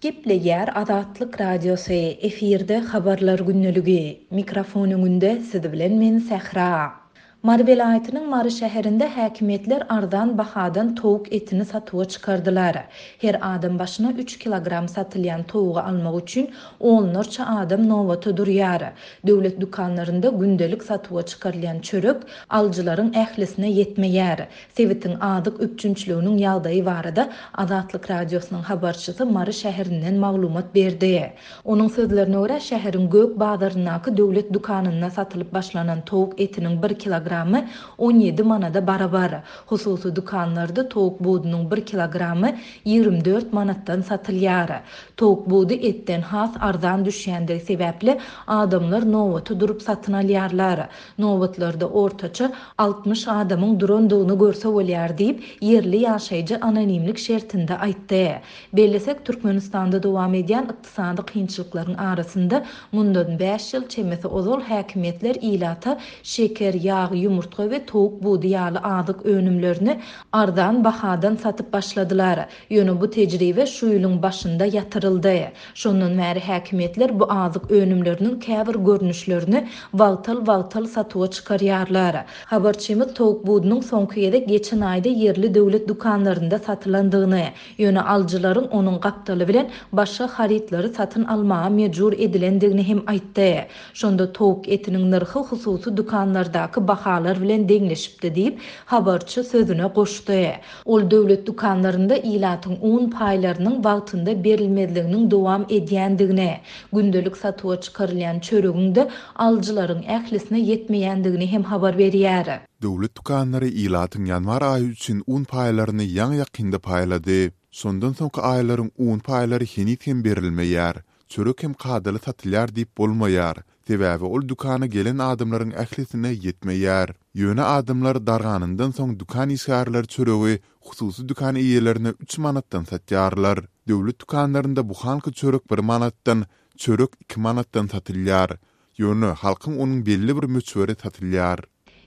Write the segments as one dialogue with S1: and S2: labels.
S1: Gepleýär Azatlyk Radiosy, efirde Habarlar gündeligi. Mikrofon öňünde siz bilen men Sähra. Mary welaýatynyň Mary şäherinde häkimiýetler arzan bahadan towuk etini satuwa çykardylar. Her adam başyna üç kilogram satylýan towugy almak üçin onlarça adam nobata durýar. Döwlet dükanlarynda gündelik satuwa çykarylýan çörek alyjylaryň ählisine ýetmeýär. Sebitiň azyk üpjünçiliginiň ýagdaýy barada Azatlyk Radiosynyň habarçysy Mary şäherinden maglumat berdi. Onuň sözlerine görä, şäheriň Gök bazaryndaky döwlet dükanynda satylyp başlanan towuk etiniň bir kilogramy 17 manada barabar. Hususy dükanlarda towuk budunyň bir kilogramy 24 manatdan satylýar. Towuk budy etden has arzan düşýändigi sebäpli, adamlar nobata durup satyn alýarlar. Nobatlarda ortaça 60 adamyň durandygyny görse bolýar diýip, ýerli ýaşaýjy anonimlik şertinde aýtdy. Bellesek, Türkmenistanda dowam edýän ykdysady kynçylyklaryň arasynda mundan bäş ýyl çemesi ozal häkimiýetler ilata şeker, ýag, ýumurtga we towuk budy ýaly azyk önümlerini arzan bahadan satyp başladylar. Ýöne bu tejribe şu ýylyň başynda ýatyryldy. Şondan bäri häkimiýetler bu azyk önümleriniň käbir görnüşlerini wagtal-wagtal satuwa çykarýarlar. Habarçymyz towuk budunyň soňky gezek geçen aýda ýerli döwlet dükanlarynda satylandygyny, ýöne alyjylaryň onuň gapdaly bilen başga harytlary satyn almaga mejbur edilendigini hem aýtdy. Şonda towuk etiniň nyrhy hususy dükanlardaky bahalar bilen deňleşipdi diýip, habarçy sözüne goşdy. Ol döwlet dükanlarynda ilatyň un paýlarynyň wagtynda berilmezliginiň dowam edýändigini, gündelik satuwa çykarylýan çöregiň-de alyjylaryň ählisine ýetmeýändigini hem habar berýär.
S2: Döwlet dükanlary ilatyň ýanwar aýy üçin un paýlaryny ýaňy-ýakynda paýlady. Şondan soňky aýlaryň un paýlary heniz hem berilmeýär. Çörek hem kadaly satylýar diýip bolmaýar, sebäbi ol dükana gelen adamlaryň ählisine ýetmeýär. Ýöne adamlar darganyndan soň dükan işgärleri çöregi hususy dükan eýelerine üç manatdan satýarlar. Döwlet dükanlarynda buhanka çörek bir manatdan, çörek iki manatdan satylýar. Ýöne halkyň onuň belli bir möçberi satylýar.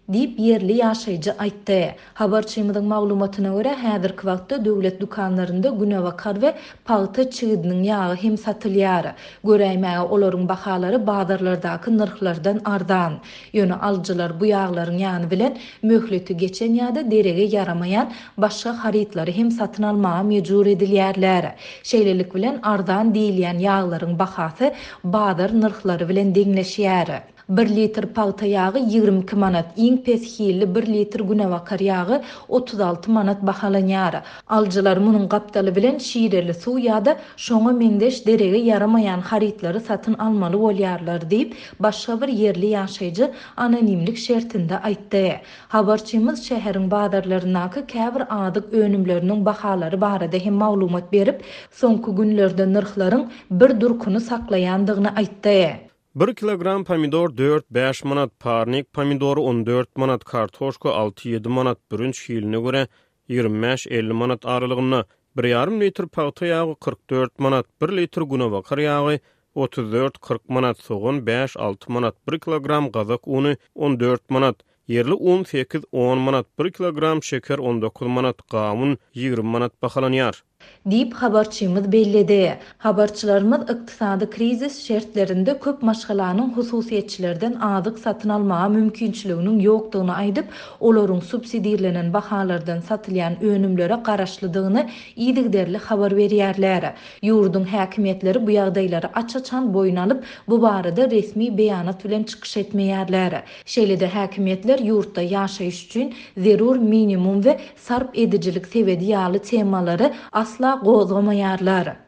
S1: Diýip, ýerli ýaşaýjy aýtdy. Habarçymyzyň maglumatyna görä, häzirki wagtda döwlet dükanlarynda günebakar we pagta çigidiniň ýagy hem satylýar. Göräýmäge olaryň bahalary bazarlardaky nyrhlardan arzan. Ýöne alyjylar bu ýaglaryň ýany bilen möhleti geçen ýa-da derege ýaramaýan başga harytlary hem satyn almaga mejbur edilýärler. Şeýlelik bilen, arzan diýilýän ýaglaryň bahasy bazar nyrhlary bilen deňleşýär. Bir litr pagta ýagy 22 manat, iň pes hilli bir litr günebakar ýagy 36 manat bahalanýar. Alyjylar munuň gapdaly bilen şireli suw ýa-da şoňa meňzeş derege ýaramaýan harytlary satyn almaly bolýarlar diýip, başga bir ýerli ýaşaýjy anonimlik şertinde aýtdy. Habarçymyz şäheriň bazarlaryndaky käbir azyk önümleriniň bahalary barada hem maglumat berip, soňky günlerde nyrhlaryň bir durkuny saklaýandygyny aýtdy.
S3: Bir kilogram pomidor dört-bäş manat, parnik pomidory 14 manat, kartoşka alty-ýedi manat, bürünç hiline görä 25-50 manat aralygynda, bir ýarym litr pagta ýagy 44 manat, bir litr günebakar ýagy 34-40 manat, sogan bäş-alty manat, bir kilogram gazak uny 14 manat, ýerli un sekiz-on manat, bir kilogram şeker 19 manat, gawun 20 manat bahalanýar.
S1: Diýip, habarçymyz belledi. Habarçylarymyz ykdysady krizis şertlerinde köp maşgalanyň hususyýetçilerden azyk satyn almaga mümkinçiliginiň ýokdugyny aýdyp, olaryň subsidirlenen bahalardan satylýan önümlere garaşlydygyny yzygiderli habar berýärler. Ýurduň häkimiýetleri bu ýagdaýlary aç-açan boýun alyp, bu barada resmi beýanat bilen çykyş etmeýärler. Şeýle-de häkimiýetler ýurtda ýaşaýyş üçin zerur minimum we sarp edijilik sebedi ýaly temalary asla gozgamaýarlar.